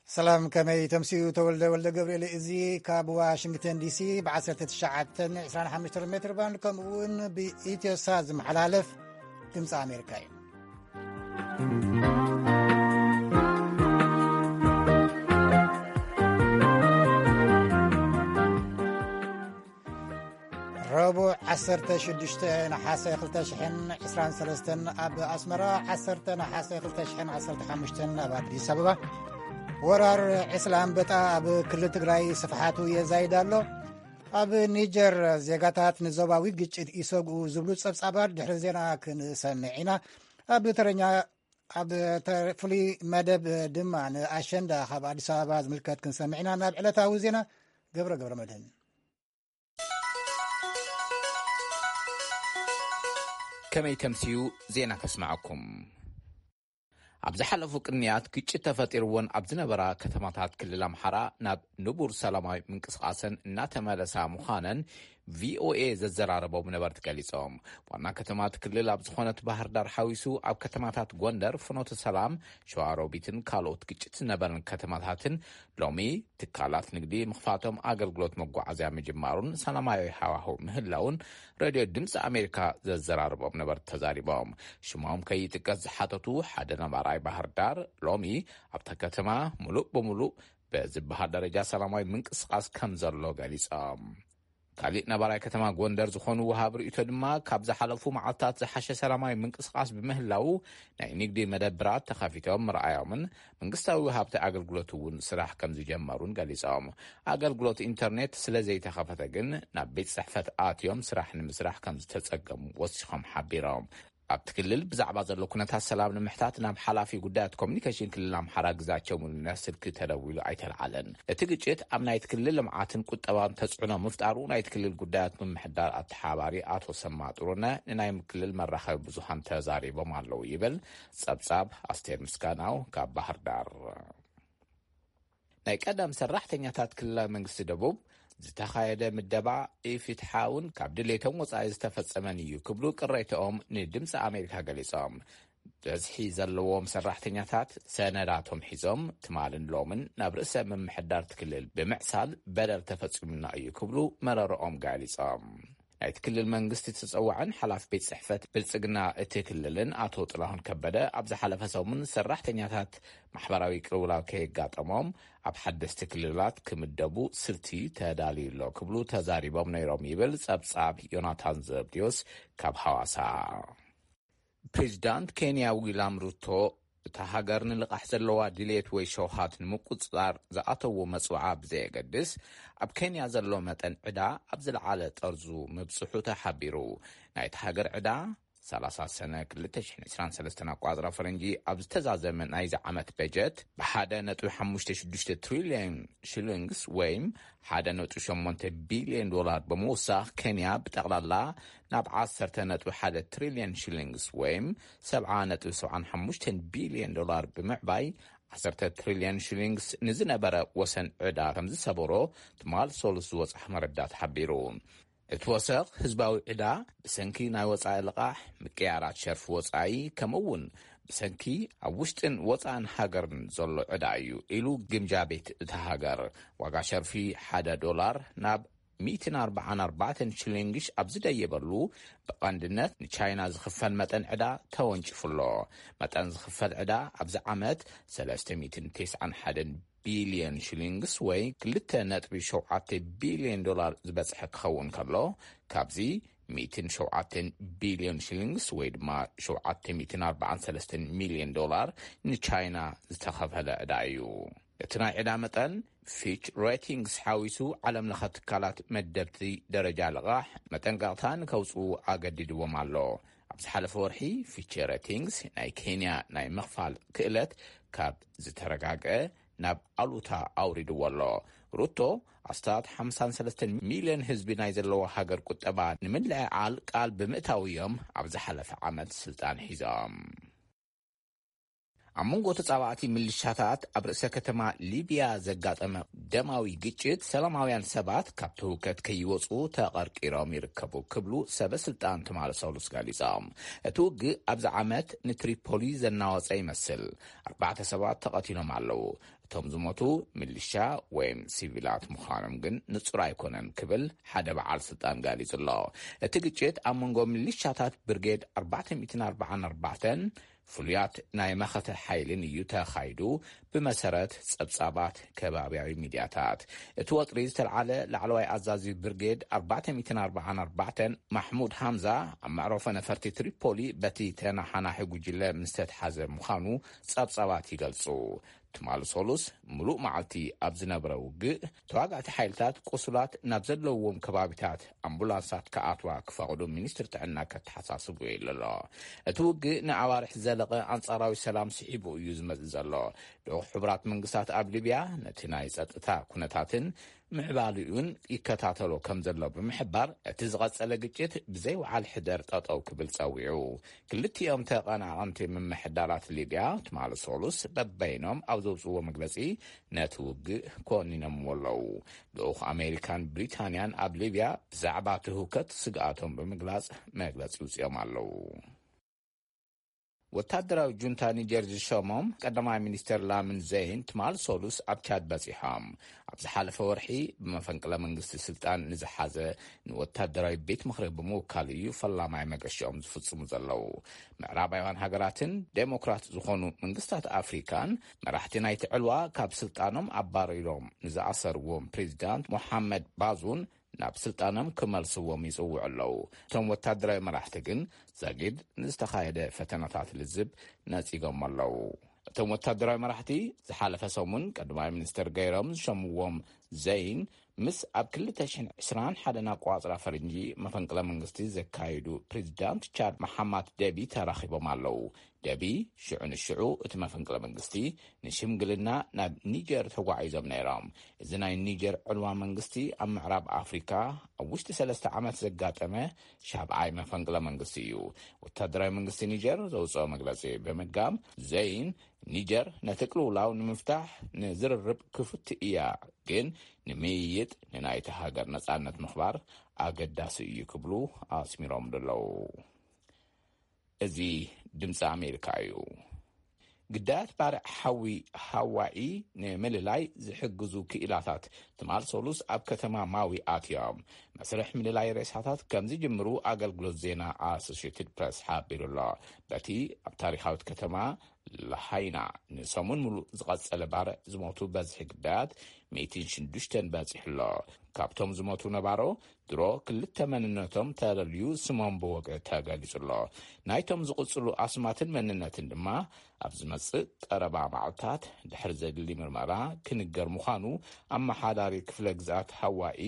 ሰላም፣ ከመይ ተምስዩ? ተወልደ ወልደ ገብርኤል። እዚ ካብ ዋሽንግተን ዲሲ ብ1925 ሜትር ባንድ ከምኡ እውን ብኢትዮሳ ዝመሓላለፍ ድምፂ ኣሜሪካ እዩ። ረቡዕ 16 ነሓሰ 2023 ኣብ ኣስመራ፣ 10 ነሓሰ 2015 ኣብ ኣዲስ ኣበባ። ወራር ዕስለ ኣንበጣ ኣብ ክልል ትግራይ ስፍሓቱ የዛይድ ኣሎ። ኣብ ኒጀር ዜጋታት ንዞባዊ ግጭት ይሰግኡ ዝብሉ ጸብጻባት ድሕሪ ዜና ክንሰምዕ ኢና። ኣብ ተረኛ ኣብ ተ-፣ ፍሉይ መደብ ድማ ንኣሸንዳ ካብ ኣዲስ ኣበባ ዝምልከት ክንሰምዕ ኢና። ናብ ዕለታዊ ዜና ገብረ ገብረ መድህን። ከመይ ተምስዩ ዜና ከስምዓኩም። ኣብ ዝሓለፉ ቅንያት ግጭት ተፈጢርወን ኣብ ዝነበራ ከተማታት ክልል ኣምሓራ ናብ ንቡር ሰላማዊ ምንቅስቃሰን እናተመለሳ ምዃነን ቪኦኤ ዘዘራረቦም ነበርቲ ገሊጾም። ዋና ከተማ እቲ ክልል ኣብ ዝኾነት ባህር ዳር ሓዊሱ ኣብ ከተማታት ጎንደር፣ ፍኖተ ሰላም፣ ሸዋሮቢትን ካልኦት ግጭት ዝነበረን ከተማታትን ሎሚ ትካላት ንግዲ ምኽፋቶም ኣገልግሎት መጓዓዝያ ምጅማሩን ሰላማዊ ሃዋህው ምህላውን ሬድዮ ድምፂ ኣሜሪካ ዘዘራረቦም ነበርቲ ተዛሪቦም። ሽሞም ከይጥቀስ ዝሓተቱ ሓደ ነባራይ ባህር ዳር ሎሚ ኣብታ ከተማ ሙሉእ ብሙሉእ በዝበሃል ደረጃ ሰላማዊ ምንቅስቃስ ከም ዘሎ ገሊጾም። ካሊእ ነባራይ ከተማ ጎንደር ዝኾኑ ወሃብ ርእይቶ ድማ ካብ ዝሓለፉ መዓልታት ዝሓሸ ሰላማዊ ምንቅስቃስ ብምህላው ናይ ንግዲ መደብራት ተኸፊቶም ምርኣዮምን መንግስታዊ ወሃብቲ ኣገልግሎት እውን ስራሕ ከም ዝጀመሩን ገሊጾም። ኣገልግሎት ኢንተርኔት ስለ ዘይተኸፈተ ግን ናብ ቤት ጽሕፈት ኣትዮም ስራሕ ንምስራሕ ከም ዝተጸገሙ ወሲኾም ሓቢሮም። ኣብቲ ክልል ብዛዕባ ዘሎ ኩነታት ሰላም ንምሕታት ናብ ሓላፊ ጉዳያት ኮሚኒኬሽን ክልል ኣምሓራ ግዛቸው ሙሉነህ ስልኪ ተደዊሉ ኣይተልዓለን። እቲ ግጭት ኣብ ናይቲ ክልል ልምዓትን ቁጠባን ተጽዕኖ ምፍጣሩ ናይቲ ክልል ጉዳያት ምምሕዳር ኣተሓባሪ ኣቶ ሰማ ጥሩነ ንናይ ክልል መራኸቢ ብዙሃን ተዛሪቦም ኣለዉ ይብል ጸብጻብ ኣስቴር ምስጋናው ካብ ባህር ዳር። ናይ ቀደም ሰራሕተኛታት ክልላዊ መንግስቲ ደቡብ ዝተኻየደ ምደባ ኢፍትሓውን ካብ ድሌቶም ወጻኢ ዝተፈጸመን እዩ ክብሉ ቅሬታኦም ንድምፂ ኣሜሪካ ገሊጾም። ብዝሒ ዘለዎም ሰራሕተኛታት ሰነዳቶም ሒዞም ትማልን ሎምን ናብ ርእሰ ምምሕዳር እቲ ክልል ብምዕሳል በደል ተፈጺሙና እዩ ክብሉ መረረኦም ገሊጾም። ናይቲ ክልል መንግስቲ ተጸዋዕን ሓላፊ ቤት ጽሕፈት ብልጽግና እቲ ክልልን ኣቶ ጥላሁን ከበደ ኣብ ዝሓለፈ ሰሙን ሰራሕተኛታት ማሕበራዊ ቅልውላው ከየጋጠሞም ኣብ ሓደስቲ ክልላት ክምደቡ ስልቲ ተዳልዩ ኣሎ ክብሉ ተዛሪቦም ነይሮም ይብል ጸብጻብ ዮናታን ዘብድዮስ ካብ ሐዋሳ። ፕሬዚዳንት ኬንያ ዊላም ሩቶ እታ ሃገር ንልቓሕ ዘለዋ ድሌት ወይ ሸውሃት ንምቁጽጻር ዝኣተዎ መጽውዓ ብዘየገድስ ኣብ ኬንያ ዘሎ መጠን ዕዳ ኣብ ዝለዓለ ጠርዙ ምብጽሑ ተሓቢሩ። ናይቲ ሃገር ዕዳ 30 ሰነ 2023 ኣቋጽራ ፈረንጂ ኣብ ዝተዛዘመ ናይዚ ዓመት በጀት ብ1.56 ትሪልዮን ሽሊንግስ ወይም 1.8 ቢልዮን ዶላር ብምውሳኽ ኬንያ ብጠቕላላ ናብ 10.1 ትሪልዮን ሽሊንግስ ወይም 70.75 ቢልዮን ዶላር ብምዕባይ 10 ትሪልዮን ሽሊንግስ ንዝነበረ ወሰን ዕዳ ከም ዝሰበሮ ትማል ሰሉስ ዝወጽኣ መረዳት ሓቢሩ። እቲ ወሰኽ ህዝባዊ ዕዳ ብሰንኪ ናይ ወጻኢ ልቓሕ፣ ምቅያራት ሸርፊ ወጻኢ፣ ከምኡ እውን ብሰንኪ ኣብ ውሽጥን ወጻእን ሃገርን ዘሎ ዕዳ እዩ ኢሉ ግምጃ ቤት እታ ሃገር። ዋጋ ሸርፊ ሓደ ዶላር ናብ 144 ሽሊንግሽ ኣብ ዝደየበሉ ብቐንድነት ንቻይና ዝኽፈል መጠን ዕዳ ተወንጭፉ ኣሎ። መጠን ዝኽፈል ዕዳ ኣብዚ ዓመት 391 ቢልዮን ሽሊንግስ ወይ 2.7 ቢልዮን ዶላር ዝበጽሐ ክኸውን ከሎ፣ ካብዚ 107 ቢልዮን ሽሊንግስ ወይ ድማ 743 ሚልዮን ዶላር ንቻይና ዝተኸፈለ ዕዳ እዩ። እቲ ናይ ዕዳ መጠን ፊች ሬቲንግስ ሓዊሱ ዓለም ለኸ ትካላት መደብቲ ደረጃ ልቓሕ መጠንቀቕታ ንከውፅኡ ኣገዲድዎም ኣሎ። ኣብ ዝሓለፈ ወርሒ ፊች ሬቲንግስ ናይ ኬንያ ናይ ምኽፋል ክእለት ካብ ዝተረጋገ ናብ ኣሉታ ኣውሪድዎ ኣሎ። ሩቶ ኣስታት 53 ሚልዮን ህዝቢ ናይ ዘለዎ ሃገር ቁጠባ ንምልዕዓል ቃል ብምእታው እዮም ኣብ ዝሓለፈ ዓመት ስልጣን ሒዞም። ኣብ መንጎ ተጻባእቲ ምልሻታት ኣብ ርእሰ ከተማ ሊብያ ዘጋጠመ ደማዊ ግጭት፣ ሰላማውያን ሰባት ካብቲ ህውከት ከይወጹ ተቐርቂሮም ይርከቡ ክብሉ ሰበ ስልጣን ትማሊ ሰሉስ ገሊጾም። እቲ ውግእ ኣብዚ ዓመት ንትሪፖሊ ዘናወጸ ይመስል። ኣርባዕተ ሰባት ተቐቲሎም ኣለዉ። እቶም ዝሞቱ ምልሻ ወይም ሲቪላት ምዃኖም ግን ንጹር ኣይኮነን ክብል ሓደ በዓል ስልጣን ገሊጹ ኣሎ። እቲ ግጭት ኣብ መንጎ ምልሻታት ብርጌድ ኣርባዕተ ሚእትን ኣርባዓን ኣርባዕተን ፍሉያት ናይ መኸተ ሓይልን እዩ ተኻይዱ፣ ብመሰረት ጸብጻባት ከባብያዊ ሚድያታት። እቲ ወጥሪ ዝተልዓለ ላዕለዋይ ኣዛዚ ብርጌድ ኣርባዕተ ሚእትን ኣርባዓን ኣርባዕተን ማሕሙድ ሃምዛ፣ ኣብ መዕረፎ ነፈርቲ ትሪፖሊ በቲ ተናሓናሒ ጉጅለ ምስ ተትሓዘ ምዃኑ ጸብጻባት ይገልጹ። ትማሊ ሰሉስ ምሉእ መዓልቲ ኣብ ዝነበረ ውግእ፣ ተዋጋእቲ ሓይልታት ቁሱላት ናብ ዘለውዎም ከባቢታት ኣምቡላንሳት ክኣትዋ ክፈቕዱ ሚኒስትሪ ጥዕና ከተሓሳስቡ ኢሉ ኣሎ። እቲ ውግእ ንኣዋርሕ ዝዘለቐ ኣንጻራዊ ሰላም ስሒቡ እዩ ዝመጽእ ዘሎ። ልኡኽ ሕቡራት መንግስታት ኣብ ሊብያ ነቲ ናይ ጸጥታ ኩነታትን ምዕባሊኡን ይከታተሎ ከም ዘሎ ብምሕባር፣ እቲ ዝቐጸለ ግጭት ብዘይ ወዓል ሕደር ጠጠው ክብል ጸዊዑ። ክልቲኦም ተቐናቐንቲ ምምሕዳራት ሊብያ ትማሊ ሰሉስ በበይኖም ኣብ ዘውፅዎ መግለጺ፣ ነቲ ውግእ ኮኒኖምዎ ኣለዉ። ልኡኽ ኣሜሪካን ብሪታንያን ኣብ ሊብያ ብዛዕባ እቲ ህውከት ስግኣቶም ብምግላጽ መግለጺ ውፅኦም ኣለዉ። ወታደራዊ ጁንታ ኒጀር ዝሸሞም ቀዳማይ ሚኒስተር ላምን ዘይን ትማል ሰሉስ ኣብ ቻድ በጺሖም። ኣብ ዝሓለፈ ወርሒ ብመፈንቅለ መንግስቲ ስልጣን ንዝሓዘ ንወታደራዊ ቤት ምኽሪ ብምውካል እዩ ፈላማይ መገሽኦም ዝፍጽሙ ዘለዉ። ምዕራባውያን ሃገራትን ዴሞክራት ዝኾኑ መንግስታት ኣፍሪካን መራሕቲ ናይቲ ዕልዋ ካብ ስልጣኖም ኣባሪሮም ንዝኣሰርዎም ፕሬዚዳንት ሞሓመድ ባዙን ናብ ስልጣኖም ክመልስዎም ይጽውዑ ኣለዉ። እቶም ወታደራዊ መራሕቲ ግን ዛጊድ ንዝተኻየደ ፈተናታት ልዝብ ነጺጎም ኣለዉ። እቶም ወታደራዊ መራሕቲ ዝሓለፈ ሰሙን ቀዳማይ ሚኒስትር ገይሮም ዝሸምዎም ዘይን ምስ ኣብ ክልተ ሽሕን ዕስራን ሓደን ኣቆጻጽራ ፈረንጂ መፈንቅለ መንግስቲ ዘካየዱ ፕሬዚዳንት ቻድ መሓማት ደቢ ተራኺቦም ኣለዉ። ደቢ ሽዑ ንሽዑ እቲ መፈንቅለ መንግስቲ ንሽምግልና ናብ ኒጀር ተጓዒዞም ነይሮም። እዚ ናይ ኒጀር ዕልዋ መንግስቲ ኣብ ምዕራብ ኣፍሪካ ኣብ ውሽጢ ሰለስተ ዓመት ዘጋጠመ ሻብዓይ መፈንቅለ መንግስቲ እዩ። ወታደራዊ መንግስቲ ኒጀር ዘውፅኦ መግለፂ ብምድጋም ዘይን ኒጀር ነቲ ቅልውላው ንምፍታሕ ንዝርርብ ክፍት እያ፣ ግን ንምይይጥ ንናይቲ ሃገር ነፃነት ምኽባር ኣገዳሲ እዩ ክብሉ ኣስሚሮም ኣለዉ። እዚ ድምፂ ኣሜሪካ እዩ። ግዳያት ባርዕ ሓዊ ሃዋኢ ንምልላይ ዝሕግዙ ክኢላታት ትማል ሰሉስ ኣብ ከተማ ማዊ ኣትዮም መስርሕ ምልላይ ሬሳታት ከም ዝጅምሩ ኣገልግሎት ዜና ኣሶሽትድ ፕረስ ሓቢሩ ኣሎ። በቲ ኣብ ታሪኻዊት ከተማ ላሃይና ንሰሙን ሙሉእ ዝቐጸለ ባርዕ ዝሞቱ በዝሒ ግዳያት ሚእትን ሽዱሽተን በጺሑ ኣሎ። ካብቶም ዝሞቱ ነባሮ ድሮ ክልተ መንነቶም ተለልዩ ስሞም ብወግዒ ተገሊጹ ኣሎ። ናይቶም ዝቕጽሉ ኣስማትን መንነትን ድማ ኣብ ዝመጽእ ቀረባ መዓልታት ድሕሪ ዘድሊ ምርመራ ክንገር ምዃኑ ኣመሓዳሪ ክፍለ ግዝኣት ሃዋኢ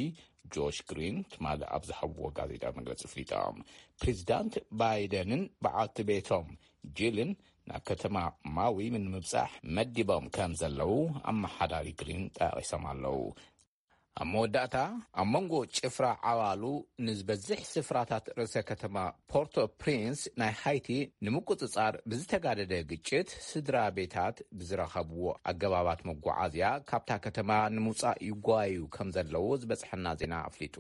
ጆሽ ግሪን ትማሊ ኣብ ዝሃብዎ ጋዜጣ መግለጺ ኣፍሊጦም። ፕሬዚዳንት ባይደንን በዓልቲ ቤቶም ጂልን ናብ ከተማ ማዊ ንምብጻሕ መዲቦም ከም ዘለዉ ኣመሓዳሪ ግሪን ጠቒሶም ኣለዉ። ኣብ መወዳእታ፣ ኣብ መንጎ ጭፍራ ዓዋሉ ንዝበዝሕ ስፍራታት ርእሰ ከተማ ፖርቶ ፕሪንስ ናይ ሃይቲ ንምቁጽጻር ብዝተጋደደ ግጭት፣ ስድራ ቤታት ብዝረኸብዎ ኣገባባት መጓዓዝያ ካብታ ከተማ ንምውጻእ ይጓዩ ከም ዘለዉ ዝበጽሐና ዜና ኣፍሊጡ።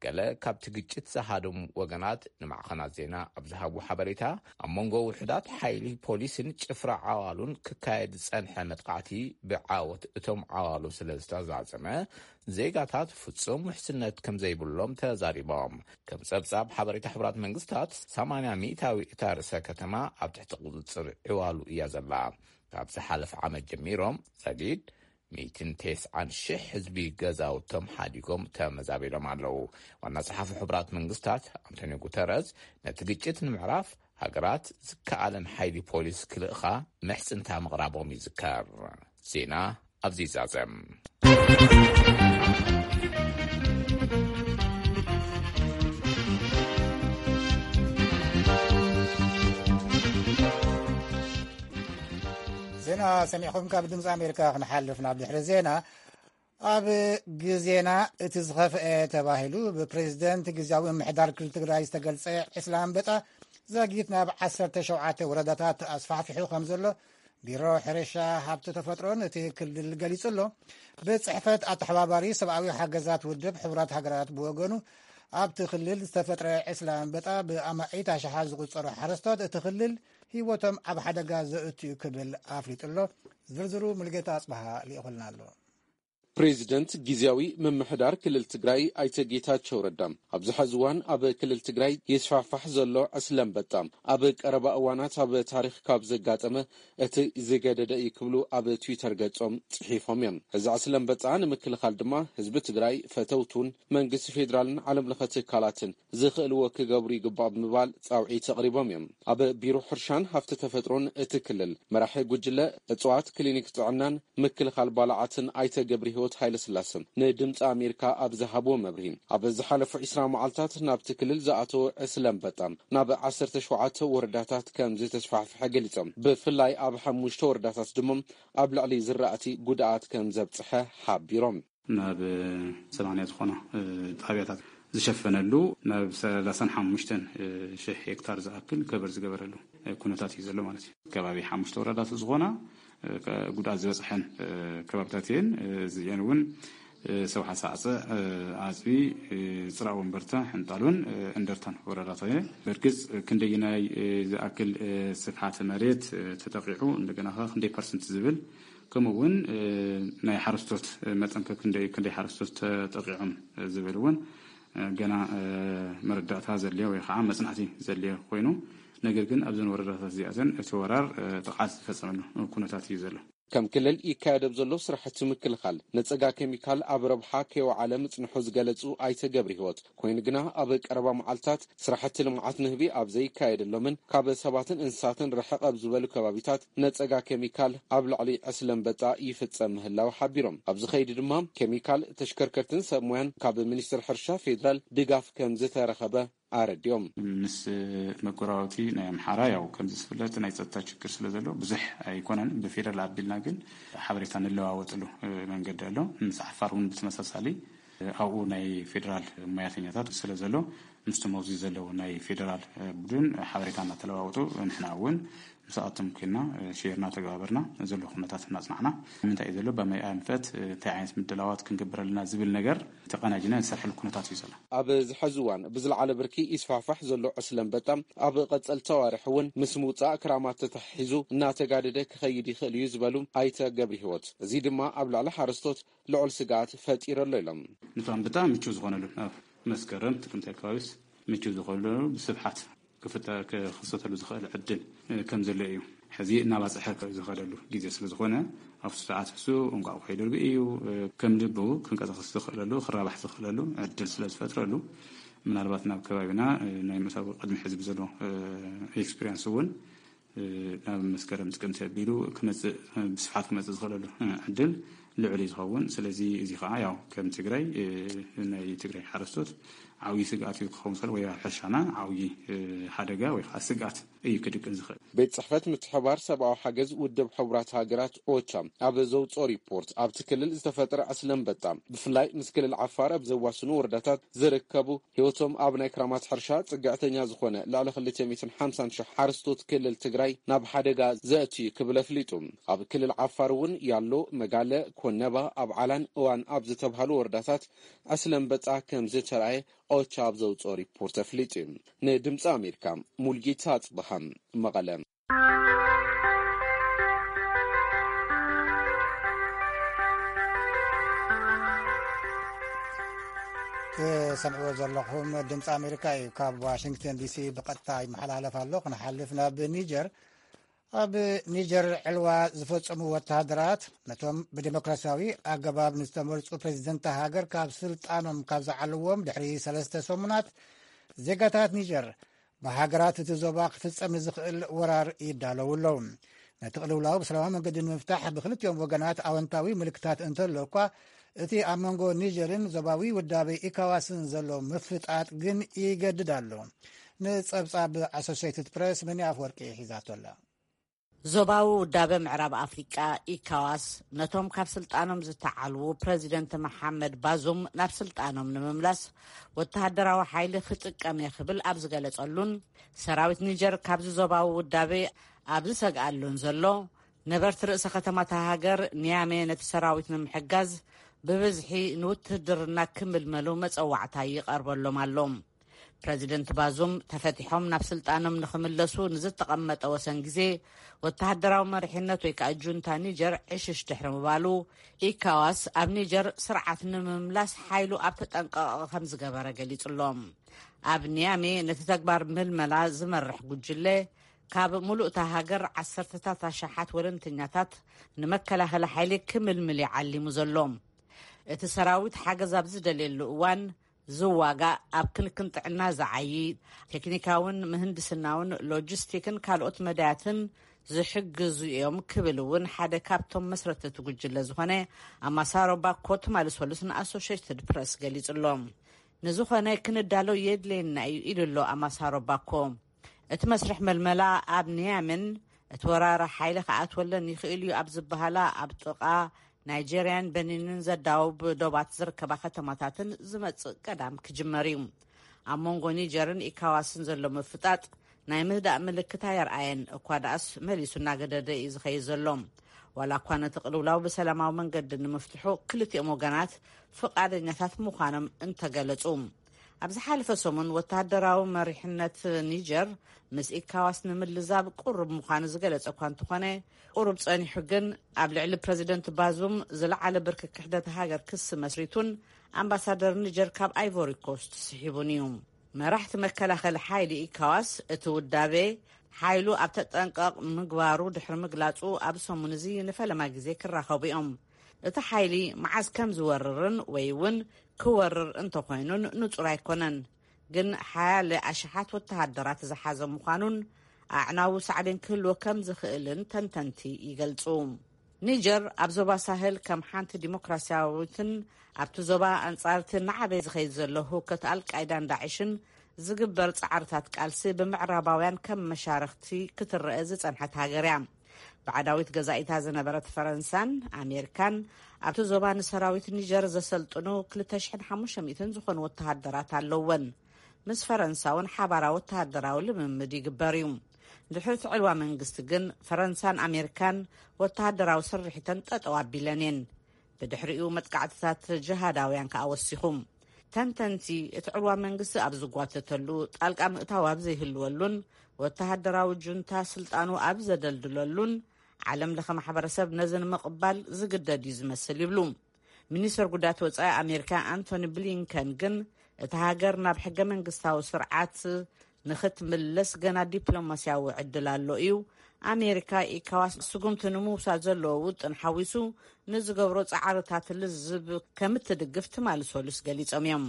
ገለ ካብቲ ግጭት ዝሃደሙ ወገናት ንማዕኸናት ዜና ኣብ ዝሃብዎ ሓበሬታ፣ ኣብ መንጎ ውሑዳት ሓይሊ ፖሊስን ጭፍራ ዓዋሉን ክካየድ ዝጸንሐ መጥቃዕቲ ብዓወት እቶም ዓዋሉ ስለ ዝተዛዘመ፣ ዜጋታት ፍጹም ውሕስነት ከም ዘይብሎም ተዛሪቦም። ከም ጸብጻብ ሓበሬታ ሕቡራት መንግስታት፣ ሰማንያ ሚእታዊ እታ ርእሰ ከተማ ኣብ ትሕቲ ቁጽጽር ዕዋሉ እያ ዘላ። ካብ ዝሓለፈ ዓመት ጀሚሮም፣ ዛጊድ ሚእትን ተስዓን ሽሕ ህዝቢ ገዛውቶም ሓዲጎም ተመዛቢሎም ኣለዉ። ዋና ጸሓፊ ሕቡራት መንግስታት ኣንቶኒዮ ጉተረዝ፣ ነቲ ግጭት ንምዕራፍ ሃገራት ዝከኣለን ሓይሊ ፖሊስ ክልእኻ ምሕጽንታ ምቕራቦም ይዝከር። ዜና ኣብዚ ይዛዘም። ዜና ሰሚዕኹም ካብ ድምፂ ኣሜሪካ ክንሓልፍ ናብ ድሕሪ ዜና። ኣብ ግዜና እቲ ዝኸፍአ ተባሂሉ ብፕሬዚደንት ግዝያዊ ምምሕዳር ክልል ትግራይ ዝተገልጸ ዕስለ ኣንበጣ ዛጊት ናብ ዓሰርተ ሸውዓተ ወረዳታት ኣስፋሕፊሑ ከም ዘሎ ቢሮ ሕርሻ፣ ሃብቲ ተፈጥሮን እቲ ክልል ገሊጹ ኣሎ። ብጽሕፈት ኣተሓባባሪ ሰብኣዊ ሓገዛት ውድብ ሕቡራት ሃገራት ብወገኑ፣ ኣብቲ ክልል ዝተፈጥረ ዕስለ ኣንበጣ ብኣማኢት ኣሽሓት ዝቑጸሩ ሓረስቶት እቲ ክልል ህይወቶም ኣብ ሓደጋ ዘእትዩ ክብል ኣፍሊጡ ኣሎ። ዝርዝሩ ሙልጌታ ኣጽበሃ ልኢኹልና ኣሎ። ፕሬዚደንት ጊዜያዊ ምምሕዳር ክልል ትግራይ ኣይተ ጌታቸው ረዳ፣ ኣብዚ ሐዚ እዋን ኣብ ክልል ትግራይ ይስፋሕፋሕ ዘሎ ዕስለ ኣንበጣ ኣብ ቀረባ እዋናት ኣብ ታሪኽ ካብ ዘጋጠመ እቲ ዝገደደ እዩ ክብሉ ኣብ ትዊተር ገጾም ጽሒፎም እዮም። እዚ ዕስለ ኣንበጣ ንምክልኻል ድማ ህዝቢ ትግራይ፣ ፈተውቱን መንግስቲ ፌዴራልን ዓለም ለኸ ትካላትን ዝኽእልዎ ክገብሩ ይግባእ ብምባል ጻውዒት ኣቕሪቦም እዮም። ኣብ ቢሮ ሕርሻን ሃፍቲ ተፈጥሮን እቲ ክልል መራሒ ጉጅለ እጽዋት፣ ክሊኒክ ጥዕናን ምክልኻል ባልዓትን ኣይተ ገብረ ህይወት ሃይለስላሰ ንድምፂ ኣሜሪካ ኣብ ዝሃብዎ መብርሂ፣ ኣብ ዝሓለፉ ዕስራ መዓልታት ናብቲ ክልል ዝኣተወ ዕስለ ኣንበጣ ናብ ዓሰርተ ሸውዓተ ወረዳታት ከም ዝተስፋሕፈሐ ገሊጾም። ብፍላይ ኣብ ሓሙሽተ ወረዳታት ድማ ኣብ ልዕሊ ዝራእቲ ጉድኣት ከም ዘብፅሐ ሓቢሮም። ናብ ሰማንያ ዝኾና ጣብያታት ዝሸፈነሉ ናብ ሰላሳን ሓሙሽተን ሽሕ ሄክታር ዝኣክል ከበር ዝገበረሉ ኩነታት እዩ ዘሎ ማለት እዩ። ከባቢ ሓሙሽተ ወረዳታት ዝኾና ጉድኣት ዝበፅሐን ከባብታት እየን። እዚአን እውን ሰውሓ ሳዕፀ፣ ኣፅቢ፣ ፅራእ ወንበርታ፣ ሕንጣሎን እንደርታን ወረዳታት እየ። በርግፅ ክንደይናይ ዝኣክል ስፍሓት መሬት ተጠቂዑ፣ እንደገና ከ ክንደይ ፐርሰንት ዝብል፣ ከምኡ እውን ናይ ሓረስቶት መጠን ከ ክንደይ፣ ክንደይ ሓረስቶት ተጠቂዖም ዝብል እውን ገና መረዳእታ ዘድልዮ ወይ ከዓ መፅናዕቲ ዘድልዮ ኮይኑ፣ ነገር ግን ኣብዘን ወረዳታት እዚኣተን እቲ ወራር ጥቕዓት ዝፈፀመሉ ኩነታት እዩ ዘሎ። ከም ክልል ይካየድ ኣብ ዘሎ ስራሕቲ ምክልኻል ነፀጋ ኬሚካል ኣብ ረብሓ ከይወዓለ ምፅንሑ ዝገለፁ ኣይተ ገብረ ህይወት፣ ኮይኑ ግና ኣብ ቀረባ መዓልታት ስራሕቲ ልምዓት ንህቢ ኣብ ዘይካየደሎምን ካብ ሰባትን እንስሳትን ርሕቕ ኣብ ዝበሉ ከባቢታት ነፀጋ ኬሚካል ኣብ ልዕሊ ዕስለ ኣንበጣ ይፍፀም ምህላው ሓቢሮም። ኣብዚ ከይዲ ድማ ኬሚካል፣ ተሽከርከርትን ሰብ ሞያን ካብ ሚኒስቴር ሕርሻ ፌዴራል ድጋፍ ከም ዝተረኸበ ኣረዲኦም። ምስ መጎራባብቲ ናይ ኣምሓራ ያው ከምዚ ዝፍለጥ ናይ ጸጥታ ችግር ስለ ዘሎ ብዙሕ ኣይኮነን። ብፌደራል ኣቢልና ግን ሓበሬታ ንለዋወጥሉ መንገዲ ኣሎ። ምስ ዓፋር እውን ብተመሳሳሊ ኣብኡ ናይ ፌደራል ሞያተኛታት ስለ ዘሎ ምስቶም ኣብዚ ዘለዉ ናይ ፌደራል ቡድን ሓበሬታ እናተለዋወጡ ንሕና እውን ምስኣቶም ኮይና ሼር እናተገባበርና ዘሎ ኩነታት እናፅናዕና ምንታይ እዩ ዘሎ በመይ ኣንፈት እንታይ ዓይነት ምድላዋት ክንገብር ኣለና ዝብል ነገር ተቐናጅና ዝሰርሐሉ ኩነታት እዩ ዘሎ። ኣብዚ ሕዚ እዋን ብዝለዓለ ብርኪ ይስፋሕፋሕ ዘሎ ዕስለ ኣንበጣ ኣብ ቀፀልቲ ኣዋርሕ እውን ምስ ምውፃእ ክራማት ተተሓሒዙ እናተጋደደ ክኸይድ ይኽእል እዩ ዝበሉ ኣይተ ገብረ ህይወት፣ እዚ ድማ ኣብ ልዕሊ ሓረስቶት ልዑል ስግኣት ፈጢሩ ኣሎ ኢሎም። ነቲ ኣንበጣ ምችው ዝኾነሉ ኣብ መስከረም ጥቅምቲ ኣካባቢስ ምችው ዝኾነሉ ብስፍሓት ክፍጠ ክኽሰተሉ ዝኽእል ዕድል ከም ዘሎ እዩ። ሕዚ እናባፅሐ ዝኸደሉ ግዜ ስለ ዝኾነ ኣብቲ ሰዓት እሱ እንቋቑሖ ይደርቢ እዩ። ከም ልቡ ክንቀሳቐስ ዝኽእለሉ ክራባሕ ዝኽእለሉ ዕድል ስለ ዝፈጥረሉ ምናልባት ናብ ከባቢና ናይ ምእታዊ ቅድሚ ሕዚ ብዘሎ ኤክስፒሪንስ እውን ናብ መስከረም ጥቅምቲ ኣቢሉ ክመፅእ ብስፍሓት ክመፅእ ዝኽእለሉ ዕድል ልዑል እዩ ዝኸውን። ስለዚ እዚ ከዓ ያው ከም ትግራይ ናይ ትግራይ ሓረስቶት ዓብዪ ስግኣት እዩ ክኸውን ዝኽእል ወይ ኣብ ሕርሻና ዓብዪ ሓደጋ ወይ ከዓ ስግኣት እዩ ክድቅን ዝኽእል። ቤት ጽሕፈት ምትሕብባር ሰብኣዊ ሓገዝ ውድብ ሕቡራት ሃገራት ኦቻ ኣብ ዘውፅኦ ሪፖርት ኣብቲ ክልል ዝተፈጥረ ዕስለ ኣንበጣ ብፍላይ ምስ ክልል ዓፋር ኣብ ዘዋስኑ ወረዳታት ዝርከቡ ህይወቶም ኣብ ናይ ክራማት ሕርሻ ጽግዕተኛ ዝኾነ ልዕሊ ክልተ ሚእትን ሓምሳን ሽሕ ሓረስቶት ክልል ትግራይ ናብ ሓደጋ ዘእትዩ ክብል ኣፍሊጡ። ኣብ ክልል ዓፋር እውን ያሎ፣ መጋለ፣ ኮነባ፣ ኣብ ዓላን እዋን ኣብ ዝተብሃሉ ወረዳታት ዕስለ ኣንበጣ ከም ዝተራእየ ኦቻ ኣብ ዘውፅኦ ሪፖርት ኣፍሊጡ። ንድምፂ ኣሜሪካ ሙልጌታ ኣፅበሃ፣ መቐለ። ትሰምዕዎ ዘለኹም ድምፂ ኣሜሪካ እዩ። ካብ ዋሽንግተን ዲሲ ብቐጥታ ይመሓላለፍ ኣሎ። ክንሓልፍ ናብ ኒጀር። ኣብ ኒጀር ዕልዋ ዝፈጸሙ ወተሃደራት ነቶም ብዴሞክራሲያዊ ኣገባብ ንዝተመርጹ ፕሬዚደንት ሃገር ካብ ስልጣኖም ካብ ዝዓልዎም ድሕሪ ሰለስተ ሰሙናት፣ ዜጋታት ኒጀር ብሃገራት እቲ ዞባ ክፍጸም ንዝኽእል ወራር ይዳለዉ ኣለዉ። ነቲ ቅልውላው ብሰላማዊ መንገዲ ንምፍታሕ ብክልቲኦም ወገናት ኣወንታዊ ምልክታት እንተሎ እኳ፣ እቲ ኣብ መንጎ ኒጀርን ዞባዊ ውዳበ ኢካዋስን ዘሎ ምፍጣጥ ግን ይገድድ ኣሎ። ንጸብጻብ ኣሶሴይትድ ፕሬስ መኒ ኣፍወርቂ ሒዛቶ ኣላ። ዞባዊ ውዳበ ምዕራብ ኣፍሪቃ ኢካዋስ ነቶም ካብ ስልጣኖም ዝተዓልዉ ፕረዚደንት መሓመድ ባዙም ናብ ስልጣኖም ንምምላስ ወተሃደራዊ ሓይሊ ክጥቀም እየ ክብል ኣብ ዝገለጸሉን ሰራዊት ኒጀር ካብዚ ዞባዊ ውዳበ ኣብ ዝሰግኣሉን ዘሎ ነበርቲ ርእሰ ከተማታ ሃገር ኒያሜ ነቲ ሰራዊት ንምሕጋዝ ብብዝሒ ንውትህድርና ክምልመሉ መጸዋዕታ ይቐርበሎም ኣሎ። ፕረዚደንት ባዙም ተፈቲሖም ናብ ስልጣኖም ንኽምለሱ ንዝተቐመጠ ወሰን ግዜ፣ ወተሃደራዊ መሪሕነት ወይ ከዓ ጁንታ ኒጀር ዕሽሽ ድሕሪ ምባሉ፣ ኢካዋስ ኣብ ኒጀር ስርዓት ንምምላስ ሓይሉ ኣብ ተጠንቀቐ ከም ዝገበረ ገሊጹ ኣሎ። ኣብ ኒያሜ ነቲ ተግባር ምልመላ ዝመርሕ ጉጅለ፣ ካብ ሙሉእ እታ ሃገር ዓሰርተታት ኣሽሓት ወለንተኛታት ንመከላኸሊ ሓይሊ ክምልምል እዩ ዓሊሙ ዘሎ። እቲ ሰራዊት ሓገዝ ኣብ ዝደልየሉ እዋን ዝዋጋእ፣ ኣብ ክንክን ጥዕና ዝዓዪ፣ ቴክኒካውን ምህንድስናውን ሎጂስቲክን ካልኦት መዳያትን ዝሕግዙ እዮም ክብል እውን ሓደ ካብቶም መስረትቲ ጉጅለ ዝኾነ ኣማሳሮ ባኮ ትማሊ ሰሉስ ንኣሶሽየትድ ፕረስ ገሊጹ ኣሎ። ንዝኾነ ክንዳሎ የድልየና እዩ ኢሉ ኣሎ ኣማሳሮ ባኮ። እቲ መስርሕ መልመላ ኣብ ኒያምን እቲ ወራሪ ሓይሊ ክኣትወለን ይኽእል እዩ ኣብ ዝበሃላ ኣብ ጥቓ ናይጀርያን በኒንን ዘዳውብ ዶባት ዝርከባ ከተማታትን ዝመጽእ ቀዳም ክጅመር እዩ። ኣብ መንጎ ኒጀርን ኢካዋስን ዘሎ ምፍጣጥ ናይ ምህዳእ ምልክት ኣየርኣየን፣ እኳ ደኣስ መሊሱ እናገደደ እዩ ዝኸይድ ዘሎ። ዋላ እኳ ነቲ ቅልውላው ብሰላማዊ መንገዲ ንምፍትሑ ክልቲኦም ወገናት ፍቓደኛታት ምዃኖም እንተገለጹ፣ ኣብ ዝሓለፈ ሰሙን ወተሃደራዊ መሪሕነት ኒጀር ምስ ኢካዋስ ንምልዛብ ቁሩብ ምዃኑ ዝገለጸ እኳ እንተኾነ፣ ቁሩብ ጸኒሑ ግን ኣብ ልዕሊ ፕረዚደንት ባዙም ዝለዓለ ብርኪ ክሕደት ሃገር ክሲ መስሪቱን ኣምባሳደር ኒጀር ካብ ኣይቮሪ ኮስት ስሒቡን እዩ። መራሕቲ መከላኸሊ ሓይሊ ኢካዋስ እቲ ውዳቤ ሓይሉ ኣብ ተጠንቀቕ ምግባሩ ድሕሪ ምግላጹ፣ ኣብ ሰሙን እዚ ንፈለማ ግዜ ክራኸቡ እዮም። እቲ ሓይሊ መዓዝ ከም ዝወርርን ወይ እውን ክወርር እንተኾይኑን ንጹር ኣይኮነን። ግን ሓያለ ኣሽሓት ወተሃደራት ዝሓዘ ምዃኑን ኣዕናዊ ሳዕቤን ክህልዎ ከም ዝኽእልን ተንተንቲ ይገልጹ። ኒጀር ኣብ ዞባ ሳህል ከም ሓንቲ ዲሞክራሲያዊትን ኣብቲ ዞባ ኣንጻርቲ እናዓበየ ዝኸይድ ዘሎ ህውከት ኣልቃይዳን ዳዕሽን ዝግበር ጻዕርታት ቃልሲ ብምዕራባውያን ከም መሻርኽቲ ክትረአ ዝጸንሐት ሃገር እያ። ባዕዳዊት ገዛኢታ ዝነበረት ፈረንሳን ኣሜሪካን ኣብቲ ዞባ ንሰራዊት ኒጀር ዘሰልጥኑ ክልተ ሽሕን ሓሙሽተ ሚእትን ዝኾኑ ወተሃደራት ኣለወን። ምስ ፈረንሳ እውን ሓባራዊ ወተሃደራዊ ልምምድ ይግበር እዩ። ድሕሪ እቲ ዕልዋ መንግስቲ ግን ፈረንሳን ኣሜሪካን ወተሃደራዊ ስርሒተን ጠጠው ኣቢለን እየን። ብድሕሪኡ መጥቃዕትታት ጅሃዳውያን ከኣ ወሲኹ። ተንተንቲ እቲ ዕልዋ መንግስቲ ኣብ ዝጓተተሉ፣ ጣልቃ ምእታው ኣብ ዘይህልወሉን ወተሃደራዊ ጁንታ ስልጣኑ ኣብ ዘደልድለሉን፣ ዓለም ለኸ ማሕበረሰብ ነዚ ንምቕባል ዝግደድ እዩ ዝመስል ይብሉ። ሚኒስተር ጉዳያት ወጻኢ ኣሜሪካ ኣንቶኒ ብሊንከን ግን፣ እታ ሃገር ናብ ሕገ መንግስታዊ ስርዓት ንኽትምለስ ገና ዲፕሎማስያዊ ዕድል ኣሎ እዩ። ኣሜሪካ ኢካዋስ ስጉምቲ ንምውሳድ ዘለዎ ውጥን ሓዊሱ ንዝገብሮ ጻዕርታት ልዝብ ከም እትድግፍ ትማሊ ሰሉስ ገሊጾም እዮም።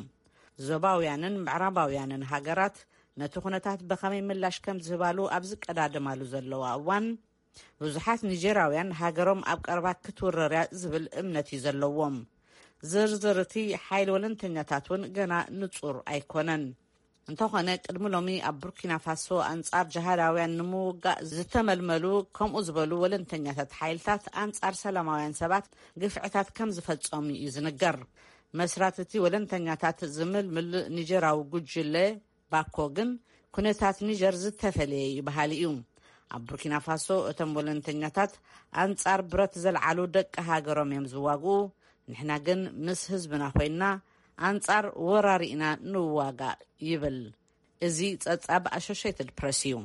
ዞባውያንን ምዕራባውያንን ሃገራት ነቲ ኩነታት ብኸመይ ምላሽ ከም ዝህባሉ ኣብ ዝቀዳደማሉ ዘለዋ እዋን፣ ብዙሓት ኒጀራውያን ሃገሮም ኣብ ቀረባ ክትውረር እያ ዝብል እምነት እዩ ዘለዎም። ዝርዝር እቲ ሓይሊ ወለንተኛታት እውን ገና ንጹር ኣይኮነን። እንተኾነ፣ ቅድሚ ሎሚ ኣብ ቡርኪና ፋሶ ኣንጻር ጅሃዳውያን ንምውጋእ ዝተመልመሉ ከምኡ ዝበሉ ወለንተኛታት ሓይልታት ኣንጻር ሰላማውያን ሰባት ግፍዕታት ከም ዝፈጸሙ እዩ ዝንገር። መስራት እቲ ወለንተኛታት ዝምልምል ኒጀራዊ ጉጅለ ባኮ ግን፣ ኩነታት ኒጀር ዝተፈለየ እዩ በሃሊ እዩ። ኣብ ቡርኪና ፋሶ እቶም ወለንተኛታት ኣንጻር ብረት ዘልዓሉ ደቂ ሃገሮም እዮም ዝዋግኡ። ንሕና ግን ምስ ህዝብና ኮይንና ኣንጻር ወራሪ ኢና ንዋጋእ ይብል። እዚ ጸብጻብ ኣሶሽየትድ ፕረስ እዩ።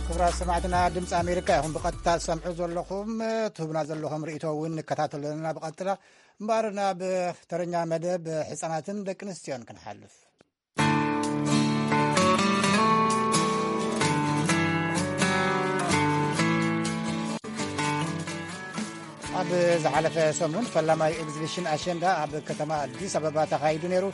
ክቡራት ሰማዕትና፣ ድምፂ ኣሜሪካ ኢኹም ብቐጥታ ትሰምዑ ዘለኹም። ትህቡና ዘለኹም ርእይቶ እውን ንከታተሎ ኣለና ብቐጥታ። እምበኣር ናብ ተረኛ መደብ ህፃናትን ደቂ ኣንስትዮን ክንሓልፍ። ኣብ ዝሓለፈ ሰሙን ፈላማይ ኤግዚቢሽን ኣሸንዳ ኣብ ከተማ ኣዲስ ኣበባ ተኻይዱ ነይሩ።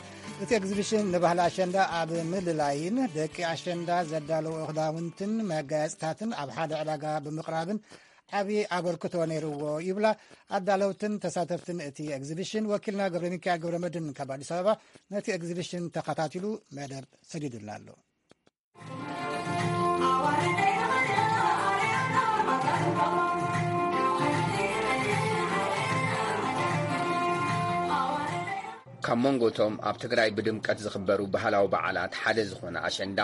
እቲ ኤግዚቢሽን ንባህሊ ኣሸንዳ ኣብ ምልላይን ደቂ ኣሸንዳ ዘዳለዎ ክዳውንትን መጋየፅታትን ኣብ ሓደ ዕዳጋ ብምቕራብን ዓብዪ ኣበርክቶ ነይርዎ ይብላ ኣዳለውትን ተሳተፍትን እቲ ኤግዚቢሽን። ወኪልና ገብረ ሚካኤል ገብረ መድን ካብ ኣዲስ ኣበባ ነቲ ኤግዚቢሽን ተኸታቲሉ መደብ ሰዲዱልና ኣሎ። ኣብ መንጎ እቶም ኣብ ትግራይ ብድምቀት ዝኽበሩ ባህላዊ በዓላት ሓደ ዝኾነ ኣሸንዳ፣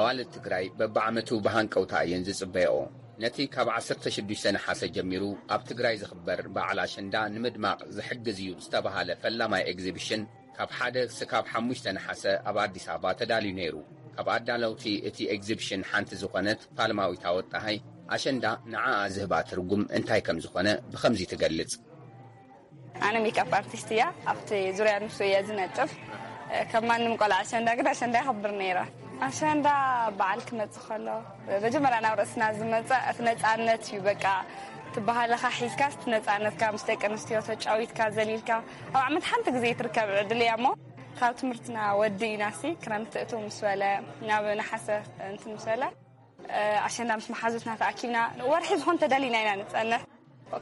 ኣዋልድ ትግራይ በብዓመቱ ብሃንቀውታ እየን ዝጽበያኦ። ነቲ ካብ ዓሰርተ ሽዱሽተ ነሓሰ ጀሚሩ ኣብ ትግራይ ዝኽበር በዓል ኣሸንዳ ንምድማቕ ዝሕግዝ እዩ ዝተባሃለ ፈላማይ ኤግዚቢሽን፣ ካብ ሓደ ስካብ ሓሙሽተ ነሓሰ ኣብ ኣዲስ ኣበባ ተዳልዩ ነይሩ። ካብ ኣዳለውቲ እቲ ኤግዚቢሽን ሓንቲ ዝኾነት ፋልማዊት ኣወጣሃይ፣ ኣሸንዳ ንዓኣ ዝህባ ትርጉም እንታይ ከም ዝኾነ ብኸምዚ ትገልጽ። ኣነ ሜክኣፕ ኣርቲስት እያ። ኣብቲ ዙርያ ንሱ እየ ዝነጥፍ። ከም ማንም ቆልዓ ኣሸንዳ ግን ኣሸንዳ ይኸብር ነይረ። ኣሸንዳ በዓል ክመጽእ ከሎ መጀመርያ ናብ ርእስና ዝመጽእ እቲ ነጻነት እዩ። በቃ እቲ ባህልኻ ሒዝካ እቲ ነጻነትካ ምስ ደቂ ኣንስትዮ ተጫዊትካ ዘሊልካ ኣብ ዓመት ሓንቲ ግዜ ትርከብ ዕድል እያ እሞ ካብ ትምህርትና ወዲ ኢናሲ ክረምቲ እቱ ምስ በለ ናብ ነሓሰ እንትን ምስ በለ ኣሸንዳ ምስ መሓዙትና ተኣኪብና ወርሒ ዝኾን ተዳሊና ኢና ንጸንሕ።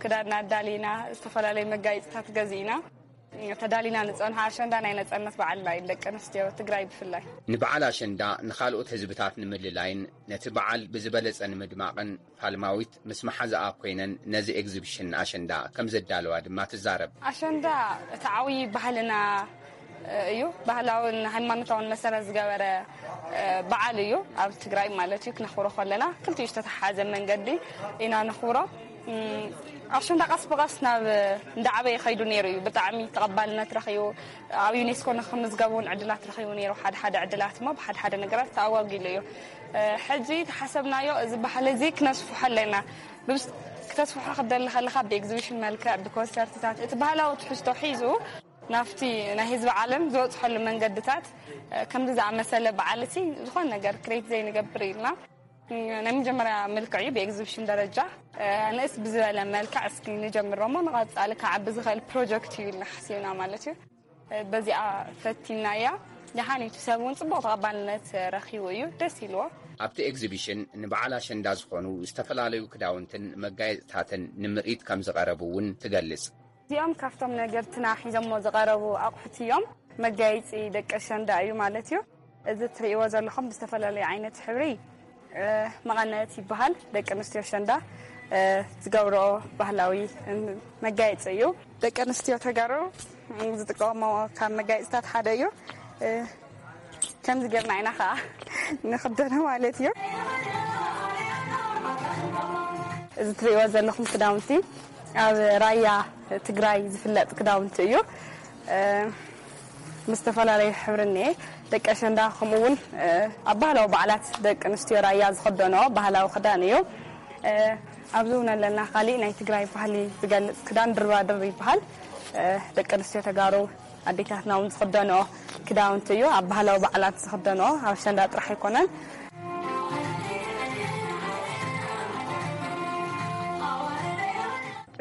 ክዳንና ኣዳሊና ዝተፈላለዩ መጋየፅታት ገዚእና ተዳሊና ንፀንሖ። ኣሸንዳ ናይ ነፃነት በዓልና እዩ ደቂ ኣንስትዮ ትግራይ ብፍላይ። ንበዓል ኣሸንዳ ንኻልኦት ህዝብታት ንምልላይን ነቲ በዓል ብዝበለፀ ንምድማቕን ፋልማዊት ምስ መሓዛኣ ኮይነን ነዚ ኤግዚቢሽን ኣሸንዳ ከም ዘዳለዋ ድማ ትዛረብ። ኣሸንዳ እቲ ዓብዪ ባህልና እዩ። ባህላውን ሃይማኖታውን መሰረት ዝገበረ በዓል እዩ። ኣብ ትግራይ ማለት እዩ ክነኽብሮ ከለና ክልቲኡ ዝተተሓሓዘ መንገዲ ኢና ነኽብሮ። ኣሸንዳ ቀስ ብቐስ ናብ እንዳዓበየ ከይዱ ነይሩ እዩ። ብጣዕሚ ተቐባልነት ረኺቡ ኣብ ዩኔስኮ ንክምዝገብ እውን ዕድላት ረኺቡ ነይሩ። ሓደ ሓደ ዕድላት እሞ ብሓደ ሓደ ነገራት ተኣጓጊሉ እዩ። ሕጂ ተሓሰብናዮ እዚ ባህሊ እዚ ክነስፍሖ ኣለና። ብብስ- ክተስፍሖ ክደሊ ከለኻ ብኤግዚቢሽን መልክዕ ብኮንሰርትታት እቲ ባህላዊ ትሕዝቶ ሒዙ ናብቲ ናይ ህዝቢ ዓለም ዝበፅሐሉ መንገድታት ከምዚ ዝኣመሰለ በዓል እቲ ዝኾነ ነገር ክሬት ዘይንገብር ኢልና ናይ መጀመርያ ምልክዕ እዩ። ብኤግዚቢሽን ደረጃ ንእስ ብዝበለ መልክዕ እስኪ ንጀምሮ እሞ ንቐፃሊ ክዓቢ ዝኽእል ፕሮጀክት እዩ ኢልና ሓሲብና ማለት እዩ። በዚኣ ፈቲና እያ። ደሓን እቲ ሰብ እውን ፅቡቕ ተቐባልነት ረኪቡ እዩ ደስ ኢልዎ። ኣብቲ ኤግዚቢሽን ንበዓል ኣሸንዳ ዝኾኑ ዝተፈላለዩ ክዳውንትን መጋየፅታትን ንምርኢት ከም ዝቐረቡ እውን ትገልጽ። እዚኦም ካብቶም ነገርትና ሒዞሞ ዝቐረቡ ኣቑሑት እዮም። መጋየፂ ደቂ ኣሸንዳ እዩ ማለት እዩ። እዚ ትርእይዎ ዘለኹም ብዝተፈላለዩ ዓይነት ሕብሪ መቐነት ይበሃል። ደቂ ኣንስትዮ ኣሸንዳ ዝገብረኦ ባህላዊ መጋየፂ እዩ። ደቂ ኣንስትዮ ተጋሩ ዝጥቀመኦ ካብ መጋየፅታት ሓደ እዩ። ከምዚ ጌርና ኢና ከዓ ንኽደኖ ማለት እዩ። እዚ ትርእይዎ ዘለኹም ክዳውንቲ ኣብ ራያ ትግራይ ዝፍለጥ ክዳውንቲ እዩ። ምስ ዝተፈላለዩ ሕብሪ እኒኤ። ደቂ ኣሸንዳ ከምኡ እውን ኣብ ባህላዊ በዓላት ደቂ ኣንስትዮ ራያ ዝኽደንኦ ባህላዊ ክዳን እዩ። ኣብዚ እውን ኣለና ካሊእ ናይ ትግራይ ባህሊ ዝገልፅ ክዳን ድርባድር ይበሃል። ደቂ ኣንስትዮ ተጋሩ ኣዴታትና እውን ዝኽደንኦ ክዳውንቲ እዩ። ኣብ ባህላዊ በዓላት ዝኽደንኦ ኣብ ኣሸንዳ ጥራሕ ኣይኮነን።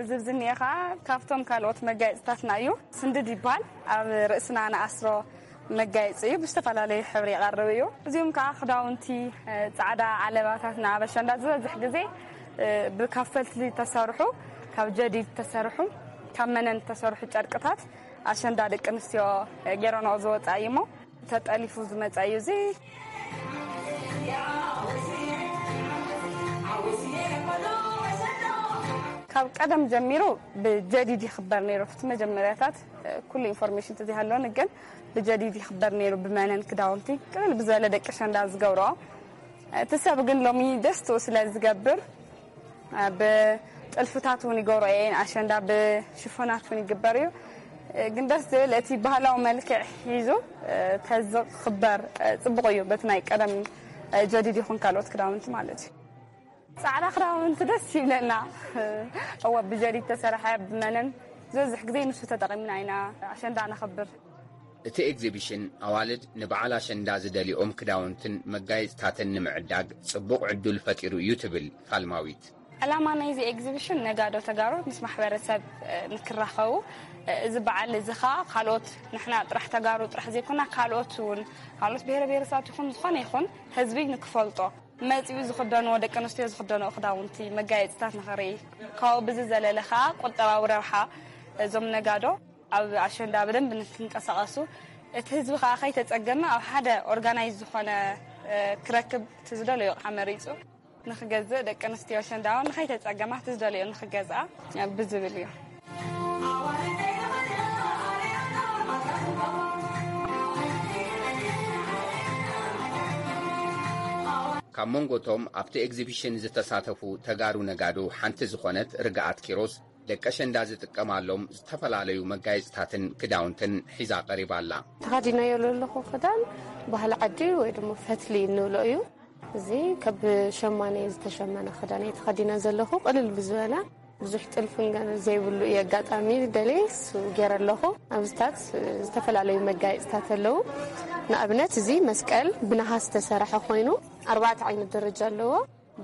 እዚ ዝኒኤ ከዓ ካብቶም ካልኦት መጋየፅታትና እዩ። ስንድድ ይበሃል። ኣብ ርእስና ንኣስሮ መጋየፂ እዩ። ብዝተፈላለዩ ሕብሪ ይቐርብ እዩ። እዚኦም ከዓ ክዳውንቲ ፃዕዳ ዓለባታትና ኣብ ኣሸንዳ ዝበዝሕ ግዜ ብካብ ፈልትሊ ተሰርሑ፣ ካብ ጀዲድ ተሰርሑ፣ ካብ መነን ተሰርሑ ጨርቅታት ኣሸንዳ ደቂ ኣንስትዮ ገይረንኦ ዝወፃ እዩ እሞ ተጠሊፉ ዝመፀ እዩ። እዚ ካብ ቀደም ጀሚሩ ብጀዲድ ይኽበር ነይሩ። እቲ መጀመርያታት ኩሉ ኢንፎርሜሽን ተዘይሃለወኒ ግን ብጀዲድ ይኽበር ነይሩ። ብመነን ክዳውንቲ ቅልል ብዝበለ ደቂ ኣሸንዳ ዝገብርኦ። እቲ ሰብ ግን ሎሚ ደስትኡ ስለ ዝገብር ብጥልፍታት እውን ይገብሮ እየን። ኣሸንዳ ብሽፎናት እውን ይግበር እዩ። ግን ደስ ዝብል እቲ ባህላዊ መልክዕ ሒዙ ተዝኽበር ፅቡቕ እዩ። በቲ ናይ ቀደም ጀዲድ ይኹን ካልኦት ክዳውንቲ ማለት እዩ። ፃዕዳ ክዳውንቲ ደስ ይብለና። እወ ብጀዲድ ተሰርሐ ብመነን ዝበዝሕ ግዜ ንሱ ተጠቒምና ኢና ኣሸንዳ ነኽብር። እቲ ኤግዚቢሽን ኣዋልድ ንበዓል ኣሸንዳ ዝደልኦም ክዳውንትን መጋየፅታትን ንምዕዳግ ፅቡቕ ዕዱል ፈጢሩ እዩ ትብል ፋልማዊት። ዕላማ ናይዚ ኤግዚቢሽን ነጋዶ ተጋሩ ምስ ማሕበረሰብ ንክራኸቡ፣ እዚ በዓል እዚ ኸዓ ካልኦት ንሕና ጥራሕ ተጋሩ ጥራሕ ዘይኮና ካልኦት እውን ካልኦት ብሄረ ብሄረሰባት ይኹን ዝኾነ ይኹን ህዝቢ ንክፈልጦ መፂኡ ዝኽደንዎ ደቂ ኣንስትዮ ዝኽደንኦ ክዳውንቲ መጋየፅታት ንኽርኢ ካብኡ ብዝዘለለ ከዓ ቁጠባዊ ረብሓ እዞም ነጋዶ ኣብ ኣሸንዳ ብደንብ ንክንቀሳቐሱ እቲ ህዝቢ ከዓ ከይተፀገመ ኣብ ሓደ ኦርጋናይዝ ዝኾነ ክረክብ እቲ ዝደለዮ ከዓ መሪፁ ንክገዝእ ደቂ ኣንስትዮ ኣሸንዳ እውን ንከይተፀገማ እቲ ዝደለዮ ንክገዝኣ ብዝብል እዩ። ኣብ መንጎቶም ኣብቲ ኤግዚቢሽን ዝተሳተፉ ተጋሩ ነጋዶ ሓንቲ ዝኾነት ርግኣት ኪሮስ፣ ደቂ ኣሸንዳ ዝጥቀማሎም ዝተፈላለዩ መጋየፅታትን ክዳውንትን ሒዛ ቀሪባ ኣላ። ተኸዲነዮ ዘለኹ ክዳን ባህሊ ዓዲ ወይ ድማ ፈትሊ እንብሎ እዩ። እዚ ካብ ሸማኔ ዝተሸመነ ክዳን እየ ተኸዲነ ዘለኹ። ቅልል ብዝበለ፣ ብዙሕ ጥልፍን ገ-፣ ዘይብሉ እዩ ኣጋጣሚ ደልየ እሱ ገይረ ኣለኹ። ኣብዚታት ዝተፈላለዩ መጋየፅታት ኣለዉ። ንኣብነት፣ እዚ መስቀል ብነሃስ ዝተሰርሐ ኮይኑ፣ ኣርባዕተ ዓይነት ደረጃ ኣለዎ።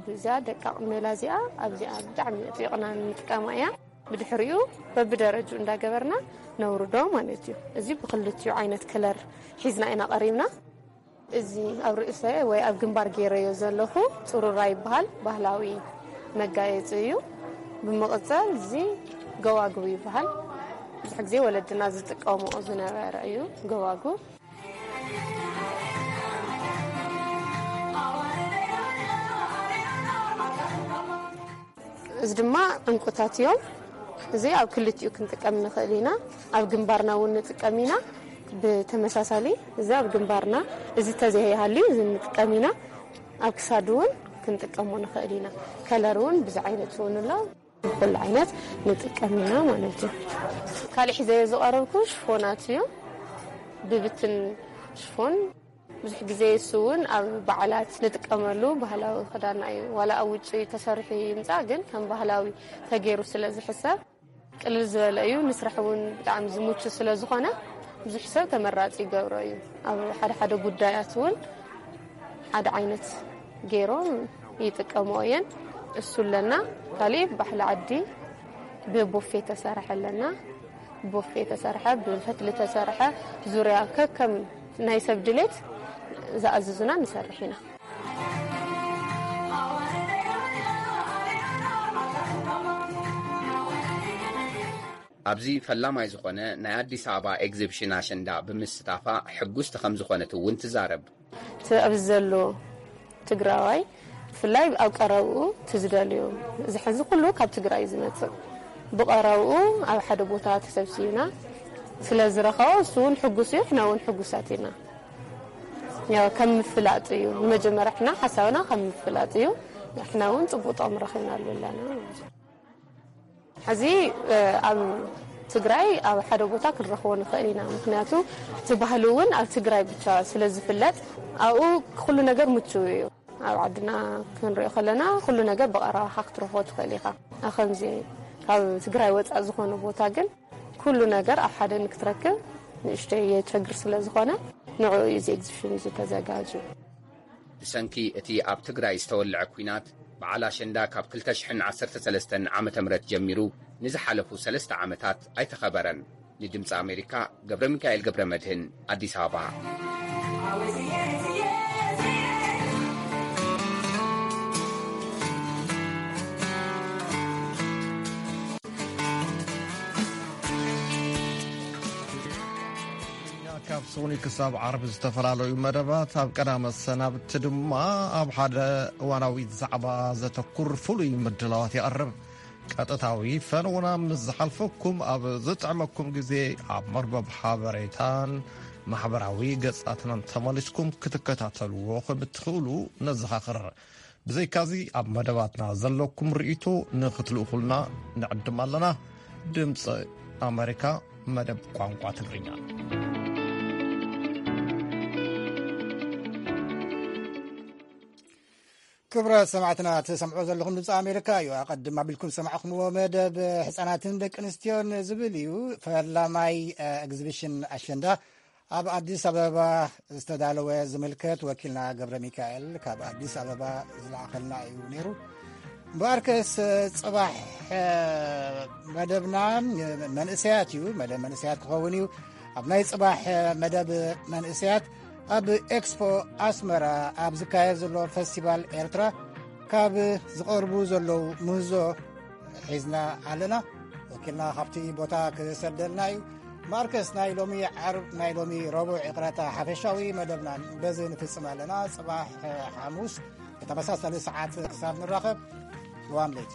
ብዛ ደቃቕ መላ እዚኣ፣ ኣብዚኣ ብጣዕሚ ኣጥቢቕና ንጥቀማ እያ። ብድሕሪኡ በብደረጅኡ እንዳገበርና ነውርዶ ማለት እዩ። እዚ ብክልቲኡ ዓይነት ከለር ሒዝና ኢና ቀሪብና። እዚ ኣብ ርእሰ ወይ ኣብ ግንባር ገይረዮ ዘለኹ ጽሩራ ይበሃል። ባህላዊ መጋየጺ እዩ። ብምቕጻል እዚ ገዋግው ይበሃል። ብዙሕ ግዜ ወለድና ዝጥቀምኦ ዝነበረ እዩ ገዋግው። እዚ ድማ ዕንቁታት እዮም። እዚ ኣብ ክልቲኡ ክንጥቀም ንኽእል ኢና። ኣብ ግንባርና እውን ንጥቀም ኢና። ብተመሳሳሊ፣ እዚ ኣብ ግንባርና፣ እዚ ተዘይሃልዩ፣ እዚ ንጥቀም ኢና። ኣብ ክሳድ እውን ክንጥቀሞ ንኽእል ኢና። ከለር እውን ብዙ ዓይነት እውን ኣሎ። ኩሉ ዓይነት ንጥቀም ኢና ማለት እዩ። ካልእ ሒዘዮ ዝቐረብኩ ሽፎናት እዩ። ብብትን ሽፎን ብዙሕ ግዜ እሱ እውን ኣብ በዓላት ንጥቀመሉ ባህላዊ ክዳና እዩ። ዋላ ኣብ ውጭ ተሰሪሑ ይምጻእ፣ ግን ከም ባህላዊ ተገይሩ ስለ ዝሕሰብ ቅልል ዝበለ እዩ። ንስራሕ እውን ብጣዕሚ ዝምቹ ስለ ዝኾነ ብዙሕ ሰብ ተመራጺ ይገብሮ እዩ። ኣብ ሓደ ሓደ ጉዳያት እውን ሓደ ዓይነት ገይሮም ይጥቀምኦ እየን። እሱ ኣለና። ካሊእ ባህሊ ዓዲ ብቦፌ ተሰርሐ ኣለና። ቦፌ ተሰርሐ፣ ብፈትሊ ተሰርሐ፣ ዙርያ ከከም ናይ ሰብ ድሌት ዝኣዝዙና ንሰርሕ ኢና። ኣብዚ ፈላማይ ዝኾነ ናይ ኣዲስ ኣበባ ኤግዚቢሽን ኣሸንዳ ብምስታፋ ሕጉስቲ ከም ዝኾነት እውን ትዛረብ። እቲ ኣብዚ ዘሎ ትግራዋይ ብፍላይ ኣብ ቀረብኡ እቲ ዝደልዮ፣ እዚ ሕዚ ኩሉ ካብ ትግራይ እዩ ዝመጽእ። ብቐረብኡ ኣብ ሓደ ቦታ ተሰብሲብና ስለ ዝረኸቦ እሱ እውን ሕጉስ እዩ፣ ሕና እውን ሕጉሳት ኢና። ያው ከም ምፍላጥ እዩ። ንመጀመርያ ሕና ሓሳብና ከም ምፍላጥ እዩ። ሕና እውን ጽቡቕ ጥቕሚ ረኺብናሉ ኣለና ማለት እዩ። ሕዚ፣ እ፣ ኣብ ትግራይ ኣብ ሓደ ቦታ ክንረኽቦ ንኽእል ኢና። ምኽንያቱ እቲ ባህሊ እውን ኣብ ትግራይ ብቻ ስለ ዝፍለጥ ኣብኡ ኩሉ ነገር ምቹው እዩ። ኣብ ዓድና ክንሪኦ ከለና ኩሉ ነገር ብቐረባኻ ክትረኽቦ ትኽእል ኢኻ። ኣብ ከምዚ ካብ ትግራይ ወፃእ ዝኾነ ቦታ ግን ኩሉ ነገር ኣብ ሓደ ንክትረክብ ንእሽተይ የቸግር ስለ ዝኾነ ንዕኡ እዩ እዚ ኤግዚቢሽን እዚ ተዘጋጅዩ። ብሰንኪ እቲ ኣብ ትግራይ ዝተወልዐ ኲናት፣ በዓል ኣሸንዳ ካብ ክልተ ሽሕን ዓሰርተ ሰለስተን ዓመተ ምህረት ጀሚሩ ንዝሓለፉ ሰለስተ ዓመታት ኣይተኸበረን። ንድምፂ ኣሜሪካ፣ ገብረ ሚካኤል ገብረ መድህን፣ ኣዲስ ኣበባ። ካብ ሶኒ ክሳብ ዓርቢ ዝተፈላለዩ መደባት፣ ኣብ ቀዳመ ሰናብቲ ድማ ኣብ ሓደ እዋናዊ ዛዕባ ዘተኩር ፍሉይ ምድላዋት ይቐርብ። ቀጥታዊ ፈነውና ምስ ዝሓልፈኩም፣ ኣብ ዝጥዕመኩም ግዜ ኣብ መርበብ ሓበሬታን ማሕበራዊ ገጻትናን ተመሊስኩም ክትከታተልዎ ከም እትኽእሉ ነዘኻኽር። ብዘይካዚ፣ ኣብ መደባትና ዘለኩም ርእይቶ ንኽትልእኹልና ንዕድም ኣለና። ድምፂ ኣሜሪካ፣ መደብ ቋንቋ ትግርኛ። ክቡራት ሰማዕትና፣ ትሰምዑ ዘለኹም ድምፂ ኣሜሪካ እዩ። ኣቐድም ኣቢልኩም ዝሰማዕኹምዎ መደብ ሕፃናትን ደቂ ኣንስትዮን ዝብል እዩ። ፈላማይ፣ እ፣ ኤግዚቢሽን ኣሸንዳ ኣብ ኣዲስ ኣበባ ዝተዳለወ ዝምልከት ወኪልና ገብረ ሚካኤል ካብ ኣዲስ ኣበባ ዝለኣኸልና እዩ ነይሩ። እምበኣርከስ፣ ጽባሕ፣ እ፣ መደብና መንእሰያት እዩ። መደብ መንእሰያት ክኸውን እዩ። ኣብ ናይ ጽባሕ መደብ መንእሰያት፣ ኣብ ኤክስፖ ኣስመራ ኣብ ዝካየድ ዘሎ ፈስቲቫል ኤርትራ ካብ ዝቐርቡ ዘለዉ ምህዞ ሒዝና ኣለና። ወኪልና ካብቲ ቦታ ክሰደልና እዩ። ማርከስ፣ ናይ ሎሚ ዓርብ፣ ናይ ሎሚ ረቡዕ፣ ይቕረታ፣ ሓፈሻዊ መደብና በዚ ንፍጽም ኣለና። ጽባሕ፣ እ፣ ሓሙስ ብተመሳሳሊ ሰዓት ክሳብ ንራኸብ፣ ሰላም ለይቲ።